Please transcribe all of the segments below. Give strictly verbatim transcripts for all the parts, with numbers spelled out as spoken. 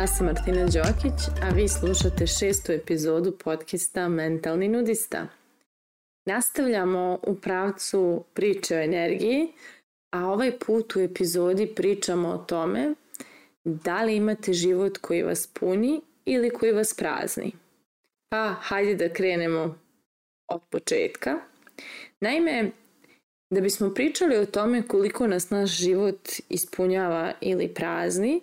Ja sam Martina Đokić, a vi slušate šestu epizodu podcasta Mentalni nudista. Nastavljamo u pravcu priče o energiji, a ovaj put u epizodi pričamo o tome da li imate život koji vas puni ili koji vas prazni. Pa hajde da krenemo od početka. Naime, da bismo pričali o tome koliko nas naš život ispunjava ili prazni,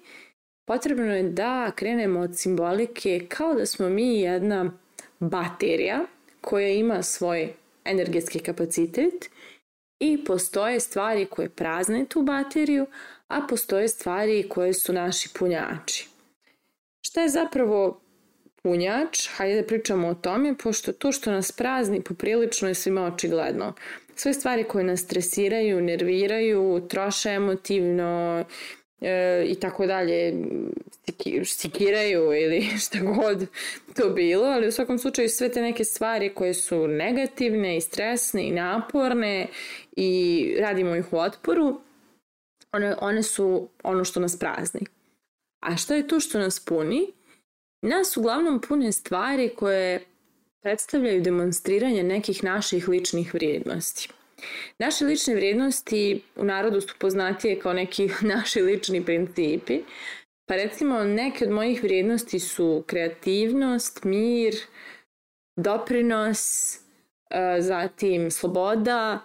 potrebno je da krenemo od simbolike kao da smo mi jedna baterija koja ima svoj energetski kapacitet i postoje stvari koje prazne tu bateriju, a postoje stvari koje su naši punjači. Šta je zapravo punjač? Hajde da pričamo o tome, pošto to što nas prazni poprilično je svima očigledno. Sve stvari koje nas stresiraju, nerviraju, troše emotivno e, i tako dalje, sikiraju ili šta god to bilo, ali u svakom slučaju sve te neke stvari koje su negativne i stresne i naporne i radimo ih u otporu, one, one su ono što nas prazni. A šta je to što nas puni? Nas uglavnom pune stvari koje predstavljaju demonstriranje nekih naših ličnih vrijednosti. Naše lične vrijednosti u narodu su poznatije kao neki naši lični principi. Pa recimo neke od mojih vrijednosti su kreativnost, mir, doprinos, zatim sloboda,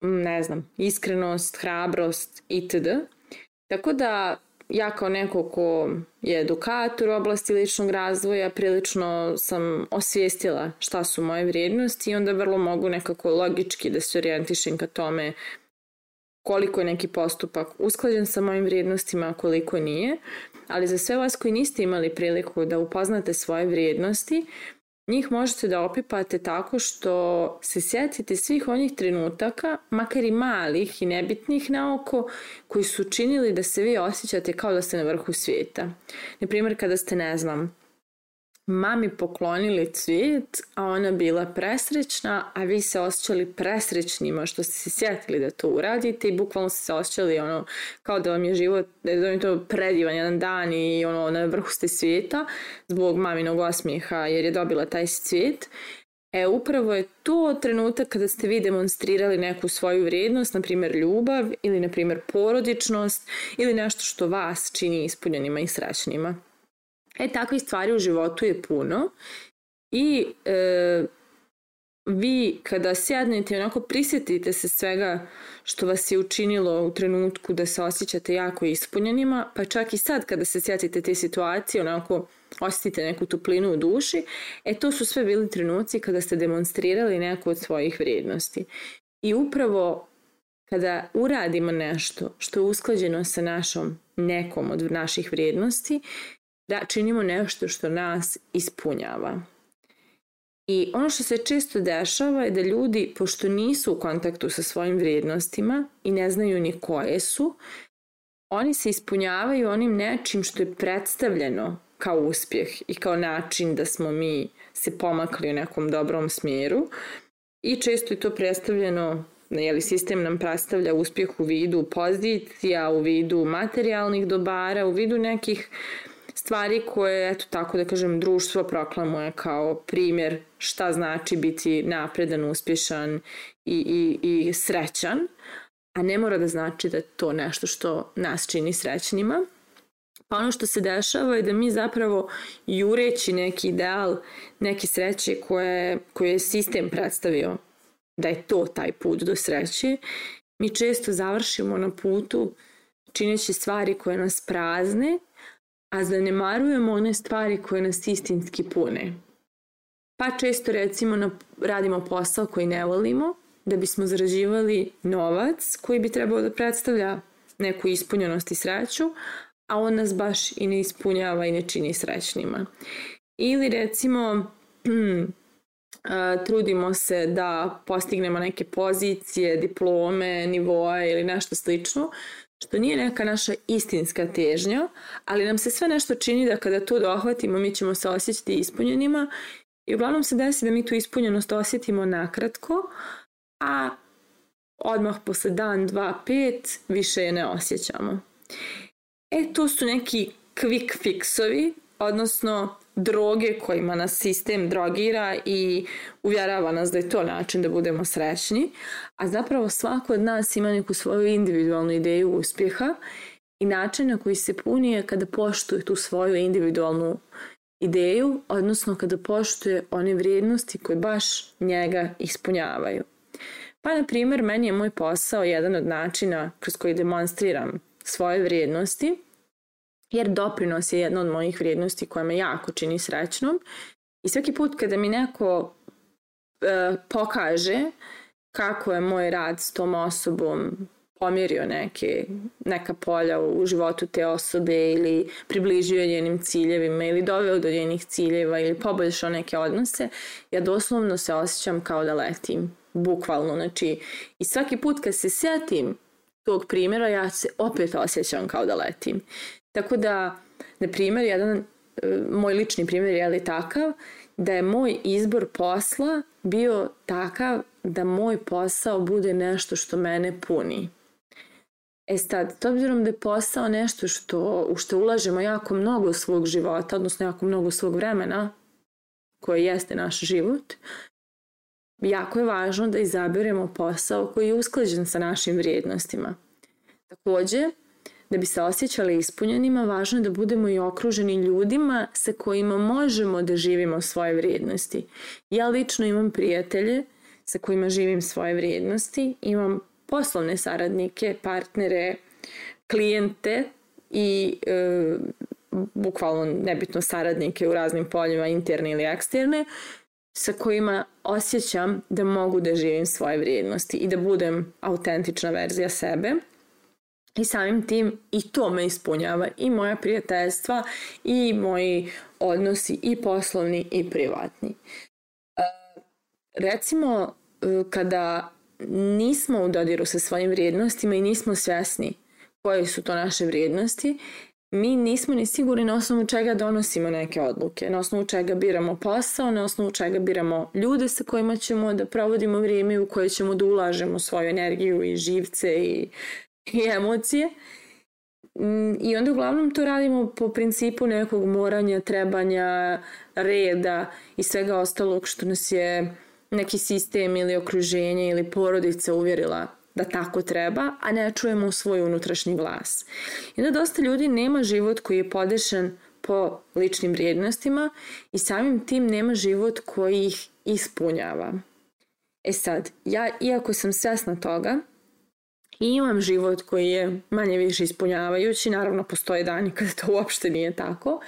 ne znam, iskrenost, hrabrost itd. Tako da ja kao neko ko je edukator u oblasti ličnog razvoja prilično sam osvijestila šta su moje vrijednosti i onda vrlo mogu nekako logički da se orijentišem ka tome koliko je neki postupak usklađen sa mojim vrijednostima, a koliko nije. Ali za sve vas koji niste imali priliku da upoznate svoje vrijednosti, njih možete da opipate tako što se sjetite svih onih trenutaka, makar i malih i nebitnih na oko, koji su činili da se vi osjećate kao da ste na vrhu svijeta. Naprimjer, kada ste, ne znam, mami poklonili cvijet, a ona bila presrećna, a vi se osjećali presrećnima što ste se sjetili da to uradite i bukvalno ste se osjećali ono, kao da vam je život, da je to predivan jedan dan i ono, na vrhu ste svijeta zbog maminog osmijeha jer je dobila taj cvijet. E, upravo je to trenutak kada ste vi demonstrirali neku svoju vrijednost, na primjer ljubav ili na primjer porodičnost ili nešto što vas čini ispunjenima i srećnima. E, takvih stvari u životu je puno i e, vi kada sjednete i onako prisjetite se svega što vas je učinilo u trenutku da se osjećate jako ispunjenima, pa čak i sad kada se sjetite te situacije, onako osjetite neku toplinu u duši, e to su sve bili trenuci kada ste demonstrirali neku od svojih vrijednosti. I upravo kada uradimo nešto što je usklađeno sa našom nekom od naših vrijednosti, da činimo nešto što nas ispunjava. I ono što se često dešava je da ljudi, pošto nisu u kontaktu sa svojim vrijednostima i ne znaju ni koje su, oni se ispunjavaju onim nečim što je predstavljeno kao uspjeh i kao način da smo mi se pomakli u nekom dobrom smjeru. I često je to predstavljeno, jeli, sistem nam predstavlja uspjeh u vidu pozicija, u vidu materijalnih dobara, u vidu nekih stvari koje, eto tako da kažem, društvo proklamuje kao primjer šta znači biti napredan, uspješan i, i, i srećan, a ne mora da znači da je to nešto što nas čini srećnima. Pa ono što se dešava je da mi zapravo jureći neki ideal, neke sreće koje, koje je sistem predstavio da je to taj put do sreće, mi često završimo na putu čineći stvari koje nas prazne, a zanemarujemo one stvari koje nas istinski pune. Pa često recimo radimo posao koji ne volimo da bismo zarađivali novac koji bi trebao da predstavlja neku ispunjenost i sreću, a on nas baš i ne ispunjava i ne čini srećnima. Ili recimo trudimo se da postignemo neke pozicije, diplome, nivoe ili nešto slično, što nije neka naša istinska težnja, ali nam se sve nešto čini da kada to dohvatimo mi ćemo se osjećati ispunjenima i uglavnom se desi da mi tu ispunjenost osjetimo nakratko, a odmah posle dan, dva, pet više je ne osjećamo. E, to su neki quick fixovi, odnosno droge kojima nas sistem drogira i uvjerava nas da je to način da budemo srećni, a zapravo svako od nas ima neku svoju individualnu ideju uspjeha i način na koji se puni je kada poštuje tu svoju individualnu ideju, odnosno kada poštuje one vrijednosti koje baš njega ispunjavaju. Pa, na primjer, meni je moj posao jedan od načina kroz koji demonstriram svoje vrijednosti, jer doprinos je jedna od mojih vrijednosti koja me jako čini srećnom. I svaki put kada mi neko e, pokaže kako je moj rad s tom osobom pomjerio neke, neka polja u životu te osobe ili približio njenim ciljevima ili doveo do njenih ciljeva ili poboljšao neke odnose, ja doslovno se osjećam kao da letim. Bukvalno, znači, i svaki put kad se sjetim tog primjera, ja se opet osjećam kao da letim. Tako da, na primjer, jedan moj lični primjer je li takav, da je moj izbor posla bio takav da moj posao bude nešto što mene puni. E sad, s obzirom da je posao nešto što, u što ulažemo jako mnogo svog života, odnosno jako mnogo svog vremena, koje jeste naš život, jako je važno da izaberemo posao koji je usklađen sa našim vrijednostima. Također, da bi se osjećali ispunjenima, važno je da budemo i okruženi ljudima sa kojima možemo da živimo svoje vrijednosti. Ja lično imam prijatelje sa kojima živim svoje vrijednosti, imam poslovne saradnike, partnere, klijente i e, bukvalno nebitno saradnike u raznim poljima, interne ili eksterne, sa kojima osjećam da mogu da živim svoje vrijednosti i da budem autentična verzija sebe. I samim tim i to me ispunjava, i moja prijateljstva i moji odnosi i poslovni i privatni. Recimo, kada nismo u dodiru sa svojim vrijednostima i nismo svjesni koje su to naše vrijednosti, mi nismo ni sigurni na osnovu čega donosimo neke odluke, na osnovu čega biramo posao, na osnovu čega biramo ljude sa kojima ćemo da provodimo vrijeme, u koje ćemo da ulažemo svoju energiju i živce i, i emocije. I onda uglavnom to radimo po principu nekog moranja, trebanja, reda i svega ostalog što nas je neki sistem ili okruženje ili porodica uvjerila da tako treba, a ne čujemo svoj unutrašnji glas. I onda dosta ljudi nema život koji je podešen po ličnim vrijednostima i samim tim nema život koji ih ispunjava. E sad, ja iako sam svjesna toga i imam život koji je manje više ispunjavajući, naravno postoje dani kada to uopšte nije tako,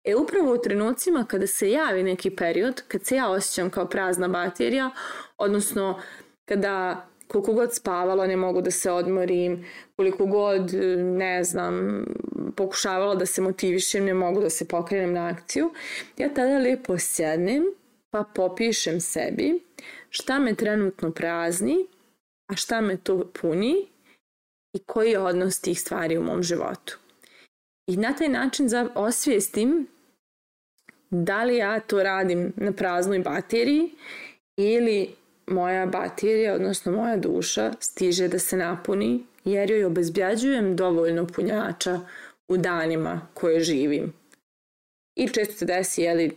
e upravo u trenucima kada se javi neki period, kad se ja osjećam kao prazna baterija, odnosno kada koliko god spavala ne mogu da se odmorim, koliko god, ne znam, pokušavala da se motivišem, ne mogu da se pokrenem na akciju, ja tada lijepo sjednem pa popišem sebi šta me trenutno prazni, a šta me to puni i koji je odnos tih stvari u mom životu. I na taj način osvijestim da li ja to radim na praznoj bateriji ili moja baterija, odnosno moja duša, stiže da se napuni jer joj obezbjeđujem dovoljno punjača u danima koje živim. I često se desi, jeli,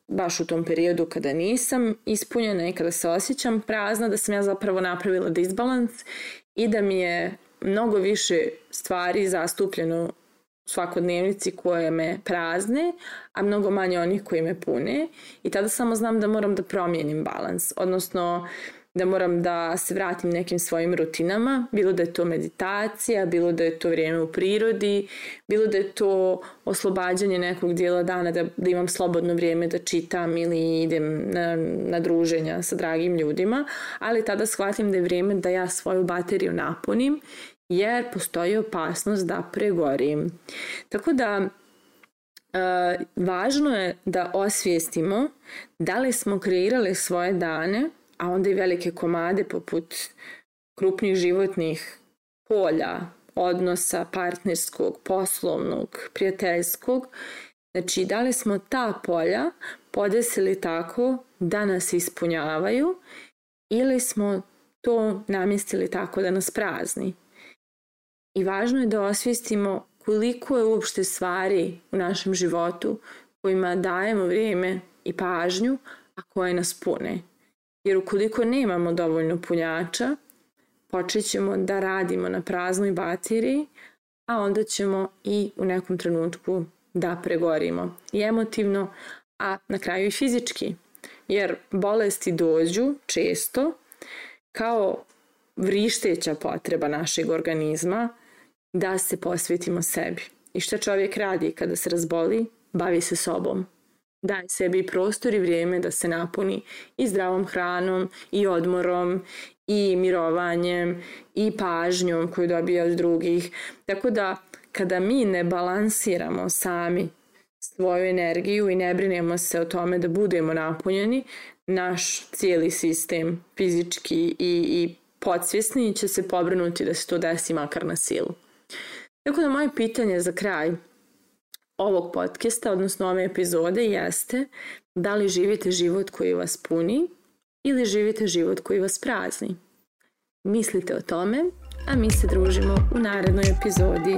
baš u tom periodu kada nisam ispunjena i kada se osjećam prazna, da sam ja zapravo napravila disbalans i da mi je mnogo više stvari zastupljeno u svakodnevnici koje me prazne, a mnogo manje onih koji me pune. I tada samo znam da moram da promijenim balans, odnosno da moram da se vratim nekim svojim rutinama, bilo da je to meditacija, bilo da je to vrijeme u prirodi, bilo da je to oslobađanje nekog dijela dana, da, da imam slobodno vrijeme da čitam ili idem na, na druženja sa dragim ljudima, ali tada shvatim da je vrijeme da ja svoju bateriju napunim, jer postoji opasnost da pregorim. Tako da e, važno je da osvijestimo da li smo kreirali svoje dane, a onda i velike komade poput krupnih životnih polja, odnosa partnerskog, poslovnog, prijateljskog. Znači, da li smo ta polja podesili tako da nas ispunjavaju ili smo to namjestili tako da nas prazni. I važno je da osvijestimo koliko je uopšte stvari u našem životu kojima dajemo vrijeme i pažnju, a koje nas pune. Jer ukoliko nemamo dovoljno punjača, počet ćemo da radimo na praznoj bateriji, a onda ćemo i u nekom trenutku da pregorimo i emotivno, a na kraju i fizički. Jer bolesti dođu često kao vrišteća potreba našeg organizma da se posvetimo sebi. I što čovjek radi kada se razboli? Bavi se sobom. Daje sebi prostor i vrijeme da se napuni i zdravom hranom, i odmorom, i mirovanjem, i pažnjom koju dobija od drugih. Tako da kada mi ne balansiramo sami svoju energiju i ne brinemo se o tome da budemo napunjeni, naš cijeli sistem fizički i, i podsvjesni će se pobrinuti da se to desi makar na silu. Tako da moje pitanje za kraj ovog podcasta, odnosno ove epizode, jeste da li živite život koji vas puni ili živite život koji vas prazni. Mislite o tome, a mi se družimo u narednoj epizodi.